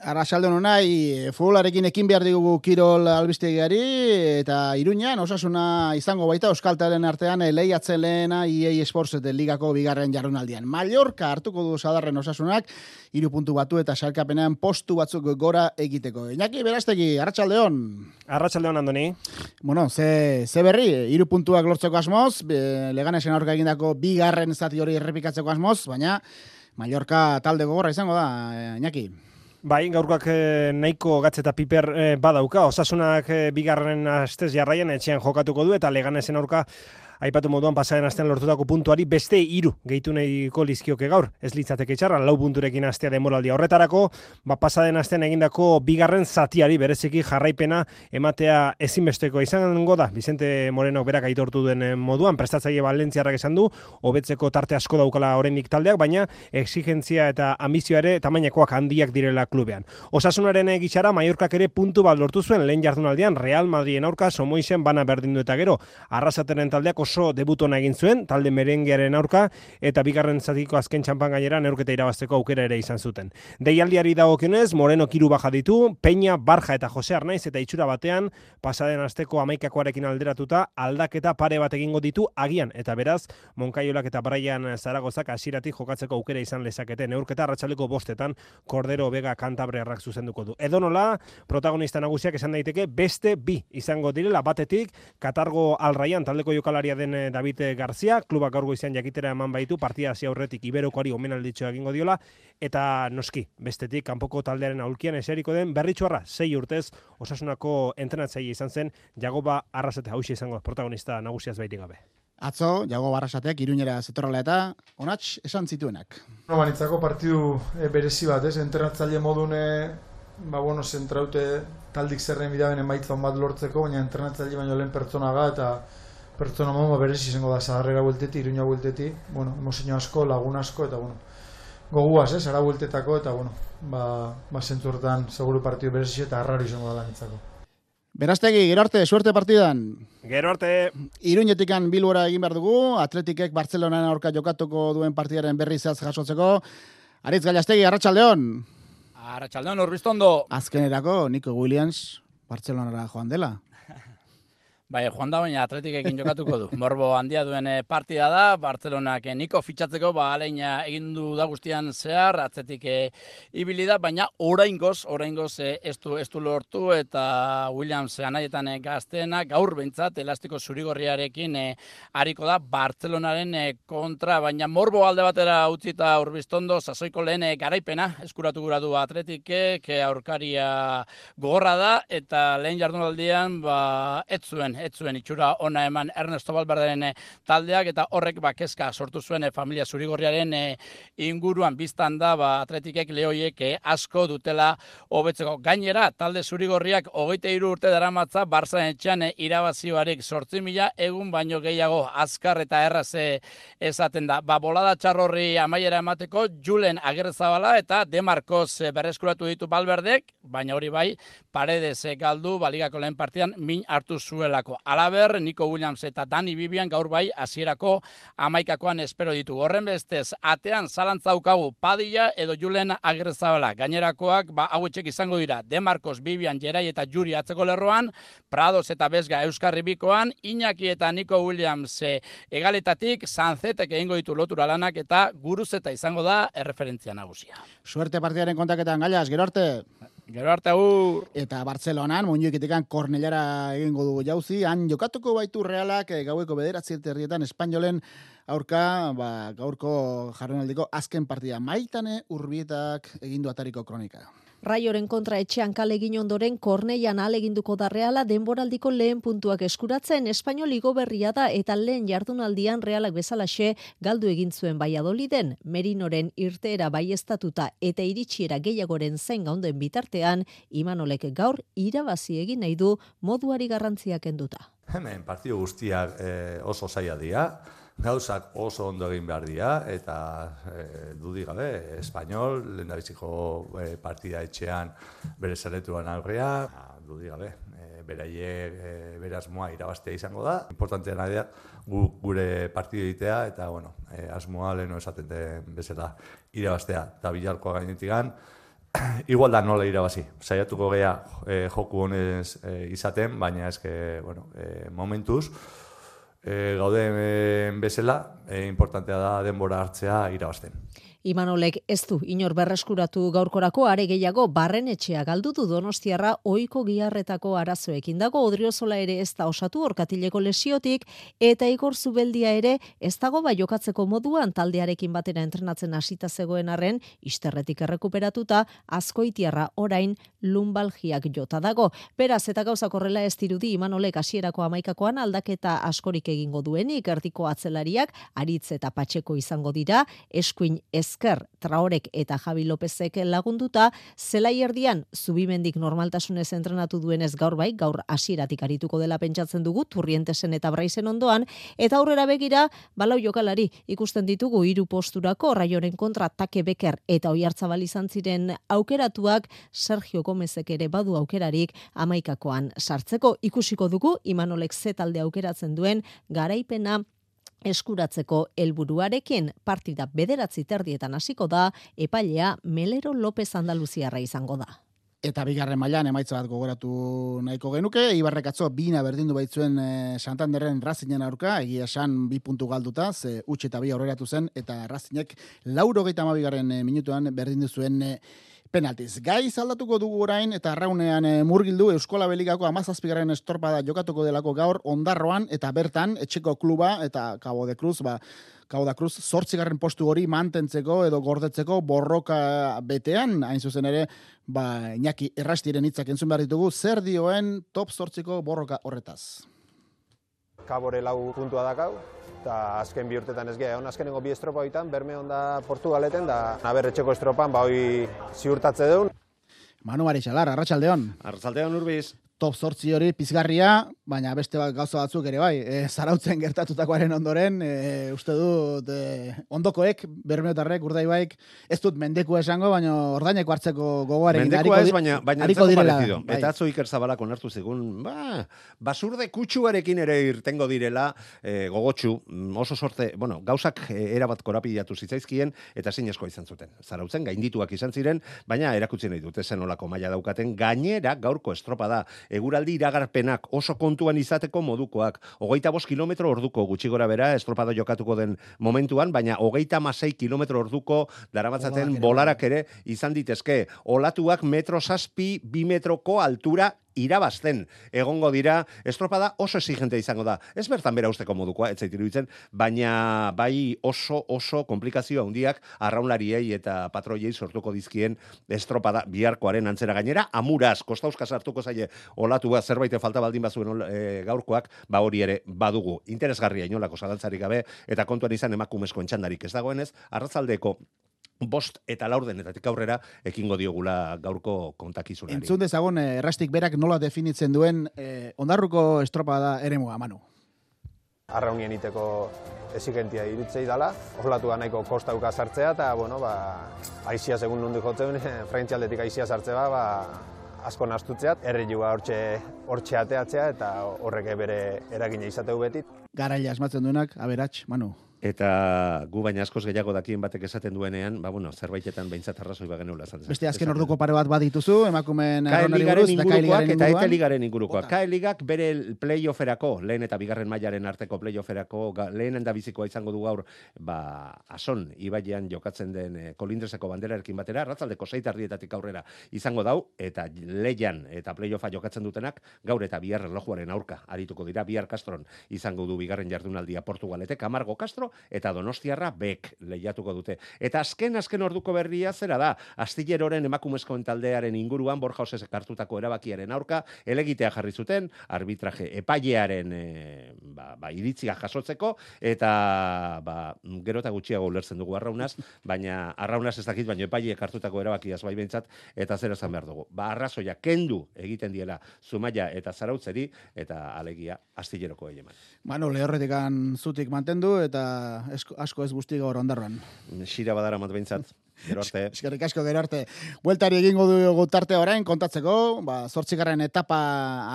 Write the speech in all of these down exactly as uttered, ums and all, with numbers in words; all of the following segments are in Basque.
Arratsaldeon unai, futbolarekin ekin behar digugu Kirol albistegiari eta Iruñan osasuna izango baita Euskaltaren artean lehiatzen lehena E A Sports ligako bigarren jardunaldian. Mallorca hartuko du sadarren osasunak, hiru puntu batu eta sailkapenean postu batzuk gora egiteko. Iñaki Berastegi, arratsaldeon. Arratsaldeon Andoni. Bueno, ze, ze berri, hiru puntuak lortzeko asmoz, Leganesen aurka egindako bigarren zati hori errepikatzeko asmoz, baina Mallorca talde gogorra izango da, Iñaki. Bai, gaurkoak eh, nahiko gatz eta piper eh, badauka. Osasunak eh, bigarren astez jarraian etxean jokatuko du eta Leganesen aurka aipatu moduan pasaren astean lortutako puntuari beste hiru gehitu nahiko lizkioke gaur. Ez litzateke txarra, lau punturekin astea demoraldia horretarako, ba pasaren astean egindako bigarren zatiari bereziki jarraipena ematea ezinbesteko izango da. Vicente Moreno berak aitortu duen moduan, prestatzaile Valentziarrak esan du, hobetzeko tarte asko daukala oraindik taldeak, baina exigentzia eta ambizioa ere tamainekoak handiak direla klubean. Osasunaren gitxara Mallorcak ere puntu bat lortu zuen lehen jardunaldian Real Madriden aurka Somoisen bana berdindu eta gero Arrasateren taldeak oso debutona egin zuen, talde merengearen aurka, eta bigarren zatiko azken txampan gainera neurketa irabazteko aukera ere izan zuten. Deialdiari dagokionez, Moreno kiru baja ditu, Peña, Barja eta Jose Arnaiz eta itxura batean, pasaden asteko hamaikakoarekin alderatuta, aldaketa pare bat egingo ditu agian, eta beraz, Moncaiolak eta Brian Zaragozak hasieratik jokatzeko aukera izan lezakete. Neurketa arratsaleko bostetan, Cordero Vega Kantabriarrak zuzenduko du. Edonola, protagonista nagusiak esan daiteke beste bi izango direla, batetik, Katargo Alraian taldeko jokalaria den David García, klubak gaur goizean jakitera eman baitu, partida hasi aurretik Iberokoari omenalditxoa egingo diola, eta noski, bestetik, kanpoko taldearen aulkian eseriko den Berritxuarra, sei urtez, Osasunako entrenatzaile izan zen, Jagoba Arrasate hausia izango protagonista nagusiaz baitik gabe. Atzo, Jagoba Arrasatek Iruñera zetorrela eta onats esan zituenak. No, banitzako partidu e, berezi bat, ez? Entrenatzaile modune, ba, bueno, zentraute taldik zerren bidaben emaitza on bat lortzeko, baina entrenatzaile baino lehen pertsonaga eta pertsona modu berezi izango da Zaharrera buelteti, Iruña buelteti, bueno, emozio asko, lagun asko, eta bueno, goguaz, ez, ara bueltetako, eta bueno, ba, ba zentzurtan seguru partidu berezi eta harrari izango da nitzako. Berastegi, gero arte, suerte partidan. Gero arte. Iruñetikan Bilbora egin behar dugu, Atletikek Bartzelonaren aurka jokatuko duen partidaren berri zehatz jasotzeko. Aritz Gallastegi, arratsaldeon. Arratsaldeon, Urbiztondo. Azkenerako, Nico Williams, Bartzelonara joan dela. Bai, joan da, baina Atletikekin jokatuko du. Morbo handia duen partida da, Bartzelonak Niko fitxatzeko, ba, aleina egin du da guztian zehar, Atletik ibili da, baina oraingoz, oraingoz ez du, ez du lortu, eta Williams anaietan gazteena, gaur behintzat, elastiko zurigorriarekin hariko da Bartzelonaren kontra, baina Morbo alde batera utzita Urbiztondo, sasoiko lehen garaipena, eskuratu gura du Atletikek, aurkaria gogorra da, eta lehen jardunaldian, ba, ez zuen, ez zuen itxura ona eman Ernesto Valverderen taldeak eta horrek ba kezka sortu zuen familia zurigorriaren inguruan biztan da ba Atletikek lehoiek asko dutela hobetzeko. Gainera talde zurigorriak hogeita hiru urte daramatza Bartzaren etxean irabazi barik zortzi mila egun baino gehiago azkar eta erraz esaten da. Ba bolada txarrorri amaiera emateko Julen Agirrezabala eta De Marcos berreskuratu ditu Valverdek, baina hori bai Paredes galdu baligako lehen partidan min hartu zuelako. Alaber, Nico Williams eta Dani Vivian gaur bai hasierako hamaikakoan espero ditu. Horren bestez, atean zalantza daukagu Padilla edo Julen Agirrezabala. Gainerakoak ba hauetxek izango dira. De Marcos, Vivian, Gerai eta Juri atzeko lerroan, Prados eta Bezga Euskarri bikoan, Iñaki eta Nico Williams e, egaletatik, Sanzetek egingo ditu lotura lanak eta Guruzeta izango da erreferentzia nagusia. Suerte partidaren kontaketan, Gallas, gero arte. Gero arte agur. Eta Bartzelonan, Moñuiketikan Kornelara egingo dugu jauzi, han jokatuko baitu Realak gaueko bederatzi herrietan Espainolen aurka, ba, gaurko jardunaldiko azken partida. Maitane Urbietak egindu atariko kronika. Raioren kontra etxean kale egin ondoren Korneian aleginduko da Reala denboraldiko lehen puntuak eskuratzen Espainol igo berria da eta lehen jardunaldian Realak bezalaxe galdu egin zuen Valladoliden. Merinoren irteera baieztatuta eta iritsiera gehiagoren zain gaunden bitartean, Imanolek gaur irabazi egin nahi du moduari garrantzia kenduta. Hemen partidu guztiak eh, oso zaila dira. Gauzak oso ondo egin behar dira, eta e, dudik gabe, Espainol, lehendabiziko e, partida etxean bere zaretuan aurrea, dudik gabe, e, beraiek e, berazmoa irabaztea izango da. Importantea nahi da, gu, gure partidu egitea, eta bueno, e, asmoa leheno esaten den bezala irabaztea. Eta Bilarkoa gainetikan, igual da nola irabazi. Saiatuko gea e, joku honez e, izaten, baina eske, bueno, e, momentuz, e, gauden bezala, e, importantea da denbora hartzea irabazten. Imanolek ez du inor berreskuratu gaurkorako, are gehiago Barrenetxea galdu du Donostiarra ohiko giharretako arazoekin dago. Odriozola ere ez da osatu orkatileko lesiotik, eta Igor Zubeldia ere ez dago bai jokatzeko moduan, taldearekin batera entrenatzen hasita zegoen arren, isterretik errekuperatuta, Azkoitiarra orain lumbalgiak jota dago. Beraz, eta gauzak horrela ez dirudi Imanolek hasierako hamaikakoan aldaketa askorik egingo duenik, erdiko atzelariak Aritz eta Patxeko izango dira, eskuin ezker Traorek eta Javi Lopezek lagunduta, zelai erdian Zubimendik normaltasunez entrenatu duenez gaur bai, gaur hasieratik arituko dela pentsatzen dugu, Turrientesen eta Braizen ondoan, eta aurrera begira, balau jokalari ikusten ditugu hiru posturako, Raioren kontra Take Beker eta Oiartzabal izan ziren aukeratuak, Sergio Gomezek ere badu aukerarik hamaikakoan sartzeko. Ikusiko dugu Imanolek ze talde aukeratzen duen garaipena eskuratzeko helburuarekin. Partida bederatzi terdietan hasiko da, epailea Melero López Andaluziarra izango da. Eta bigarren mailan emaitza bat gogoratu nahiko genuke, Ibarrek atzo bina berdindu baitzuen e, Santanderren Racingen aurka, egia esan bi puntu galduta, ze utxe eta bi aurreratu zen, eta Racingek laurogeita hamabigarren e, minutuan berdindu zuen e, penaltiz. Gaiz aldatuko dugu orain, eta arraunean e, murgildu Euskola Beligako hamazazpigarren estorpada jokatuko delako gaur Ondarroan, eta bertan etxeko kluba eta Cabo de Cruz, ba, Cabo da Cruz zortzigarren postu hori mantentzeko edo gordetzeko borroka betean, hain zuzen ere, ba, Iñaki Errastiren hitzak entzun behar ditugu, zer dioen top zortziko borroka horretaz. Kabore lau puntua dakau, eta azken bi urtetan ez geha, azkenengo bi estropa hoitan, berme onda Portugaleten, da naberretxeko estropan, ba hoi ziurtatze deun. Manu Marixalar, Arratsaldeon. Arratsaldeon Urbiz. Top zortzi hori pizgarria, baina beste bat gauza batzuk ere bai, e, Zarautzen gertatutakoaren ondoren, e, uste dut e, ondokoek, Bermeotarrek, Urdaibaik, ez dut mendekua esango, baina ordaineko hartzeko gogoarekin. Mendekua ez, baina, baina entzako parecido. Bai. Eta atzo Iker Zabalak onartu zigun, ba, basurde kutsuarekin ere irtengo direla, e, gogotxu, oso sorte, bueno, gauzak e, erabat korapilatu zitzaizkien, eta zinezkoa izan zuten. Zarautzen gaindituak izan ziren, baina erakutsi nahi dute zen olako maila daukaten, gainera gaurko estropada, eguraldi iragarpenak oso kontuan izateko modukoak. Hogeita bost kilometro orduko gutxi gora bera, estropada jokatuko den momentuan, baina hogeita masei kilometro orduko daramatzaten bolarak ere izan ditezke. Olatuak metro zazpi, bi metroko altura irabazten egongo dira, estropada oso exigente izango da. Ez bertan bera usteko modukoa, ez zait iruditzen, baina bai oso oso komplikazio handiak arraunlariei eta patroiei sortuko dizkien estropada biharkoaren antzera gainera, amuraz, kostauzka sartuko zaie olatua zerbait falta baldin bazuen e, gaurkoak, ba hori ere badugu. Interesgarria inolako zalantzarik gabe, eta kontuan izan emakumezko entxandarik ez dagoenez, arratzaldeko bost eta laurdenetatik aurrera ekingo diogula gaurko kontakizunari. Entzun dezagun, Errastik berak nola definitzen duen eh, ondarruko estropada eremua, Manu. Arraunien iteko exigentia irutzei dala, olatua nahiko kostauka sartzea, eta, bueno, ba, aizia segun nondik jotzen, frentzialdetik aizia sartzea, ba, asko nastutzeat, errilua hortxe, hortxe ateatzea, eta horrek bere eragina izateu betit. Garaila asmatzen duenak, aberats, Manu. Eta gu baina askoz gehiago dakien batek esaten duenean, ba bueno, zerbaitetan behintzat arrazoi bageneula esan. Beste azken orduko pare bat badituzu, emakumeen arraunari buruz, eta K Ligaren eta Eta Ligaren ingurukoak. K Ligak bere playofferako, lehen eta bigarren mailaren arteko playofferako, lehenen da bizikoa izango du gaur, ba, Ason, Ibaian jokatzen den e, Kolindreseko banderarekin batera, arratzaldeko sei tardietatik aurrera izango dau, eta Leian eta playoffa jokatzen dutenak, gaur eta bihar erlojuaren aurka arituko dira, bihar Castron izango du bigarren jardunaldia Portugaletek, Amargo Castro, eta Donostiarra bek lehiatuko dute. Eta azken azken orduko berria zera da, Astilleroren emakumezkoen taldearen inguruan Borja Osesek hartutako erabakiaren aurka elegitea jarri zuten, arbitraje epailearen e, ba, ba, iritzia jasotzeko, eta ba, gero eta gutxiago ulertzen dugu arraunaz, baina arraunaz ez dakit, baina epaileek hartutako erabakiaz bai behintzat, eta zer esan behar dugu. Ba, arrazoia kendu egiten diela Zumaia eta Zarautzeri, eta alegia Astilleroko eman. Manu, lehorretikan zutik mantendu, eta esko, asko ez guzti gaur Ondarroan. Xira badara mat behintzat. Gero arte. Eskerrik asko, gero arte. Bueltari egingo dugu tarte orain kontatzeko, ba, zortzigarren etapa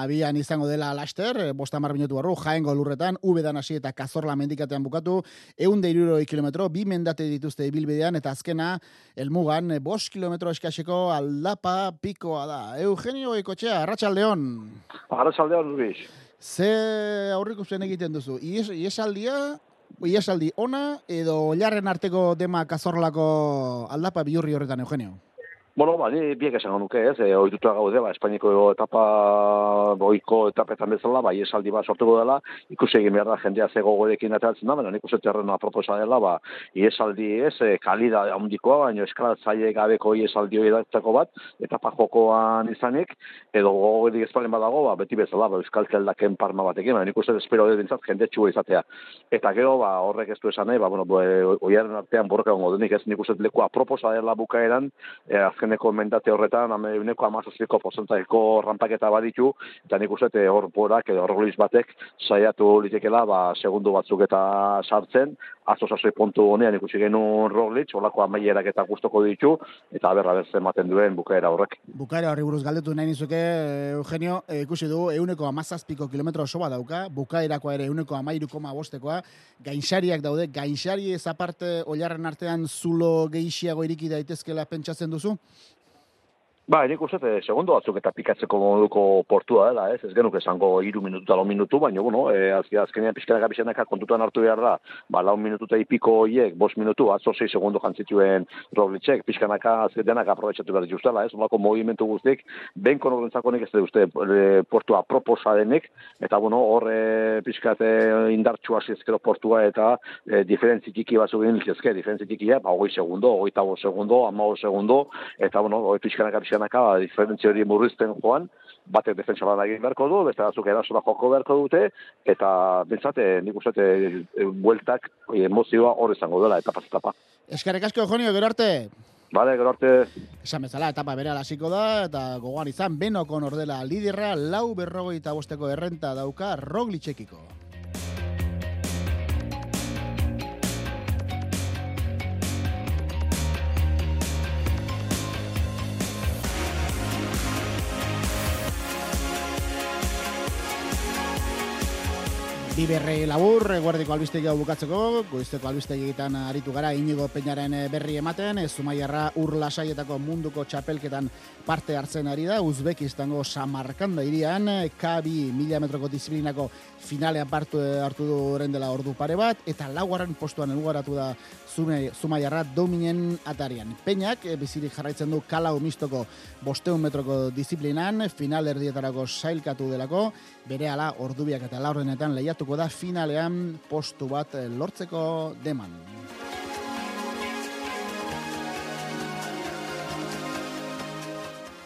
abian izango dela laster, bost hamar minutu barru, Jaengo lurretan, Ubedan hasi eta Cazorla mendikatean bukatu, ehun eta hirurogei kilometro, bi mendate dituzte ibilbidean, eta azkena, helmugan, bost kilometro eskaseko aldapa pikoa da. Eugenio Goikotxea, Arratsaldeon. Arratsaldeon, Luis. Ze aurrikusten egiten duzu? Ies, iesaldia, iesaldi ona, edo oilarren arteko dema Cazorlako aldapa bihurri horretan, Eugenio? Bueno, ba, ni biek esango nuke, ez, e, ohituta gaude, ba, Espainiko etapa, ohiko etapetan bezala, ba, iesaldi bat sortuko dela, ikusi egin behar da jendea ze gogorekin ateratzen da, baina nik uste terrenoa proposa dela, ba, iesaldi ez, e, kalida handikoa, baina eskalatzaile gabeko iesaldi hori datzako bat, etapa jokoan izanik, edo gogorik ezpalen badago, ba, beti bezala, ba, euskal zeldaken parma batekin, baina nik uste espero dut bintzat jende txua izatea. Eta gero, ba, horrek ez du esan nahi, ba, bueno, oiaren artean borroka gongo denik, ez nik uste lekua proposa dela bukaeran, e, azkeneko mendate horretan, uneko amazazpiko porcentaiko rampaketa baditu, eta nik uste hor borak edo horreliz batek saiatu litekela, ba, segundu batzuk eta sartzen, atzo sasoi puntu honean ikusi genuen Roglic, holako amaierak eta gustoko ditu, eta berra berzen ematen duen bukaera horrek. Bukaera horri buruz galdetu nahi nizuke, Eugenio, e, ikusi du, euneko amazazpiko kilometro oso bat dauka, bukaerakoa ere euneko amairu koma bostekoa, gainxariak daude, gainxari ez aparte oilarren artean zulo gehixiago iriki daitezkela pentsatzen duzu? Ba, nik uste, segundo batzuk eta pikatzeko moduko portua dela, ez? Ez genuk esango iru minutu eta lau minutu, baina, bueno, e, azkenean pixkanaka pixkanaka kontutan hartu behar da, ba, lau minutu eta ipiko hiek, bost minutu, atzo sei segundo jantzituen Roglicek, pixkanaka azkenenak aprobetxatu behar dituztela, ez? Olako movimentu guztik, ben konorentzako nik ez dut uste e, portua proposa denik, eta, bueno, hor e, pixkate indartxua zizkero portua eta e, diferentzi txiki batzuk egin lizkezke, diferentzi txikia, ba, hogei segundo, hogei tabo segundo, amago segundo, eta, bueno, hogei pixkanaka pixkanaka Naka, diferentzia hori murrizten joan, batek defensa lan egin beharko du, beste batzuk erasola joko beharko dute, eta bentsate, nik uste, e, bueltak, emozioa hor izango dela, etapa etapa. Eskerrik asko, Eugenio, gero arte. Bale, gero arte. Esan bezala, etapa bere hasiko da, eta gogoan izan, Benokon ordela liderra, lau berrogeita bosteko errenta dauka Roglicekiko. Biberrei labur, guardiko albistegi hau bukatzeko, goizteko albistegietan aritu gara Inigo Peñaren berri ematen, Zumaiarra ur lasaietako munduko txapelketan parte hartzen ari da, Uzbekistango Samarkanda irian, K bi mila metroko disiplinako finalean partu hartu du orain dela ordu pare bat, eta laugarren postuan helmugaratu da Zumaiarra dominen atarian. Peñak bizirik jarraitzen du Kalau mistoko bosteun metroko disiplinan, final erdietarako sailkatu delako, berehala ordubiak eta laurdenetan lehiatuko da finalean postu bat lortzeko deman.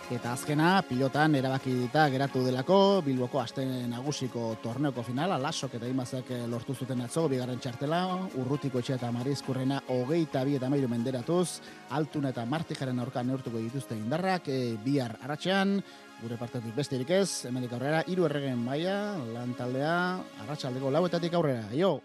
Eta azkena, pilotan erabaki dita geratu delako, Bilboko aste nagusiko torneoko finala, Lasok eta Imazak lortu zuten atzo, bigarren txartela, Urrutiko etxe eta Marizkurrena hogeita bi eta mairu menderatuz, Altun eta Martijaren aurka neurtuko dituzte indarrak, e, bihar arratsean, gure partetik besterik ez, hemendik aurrera, hiru erregen maila, lan taldea, arratsaldeko lauetatik aurrera, jo!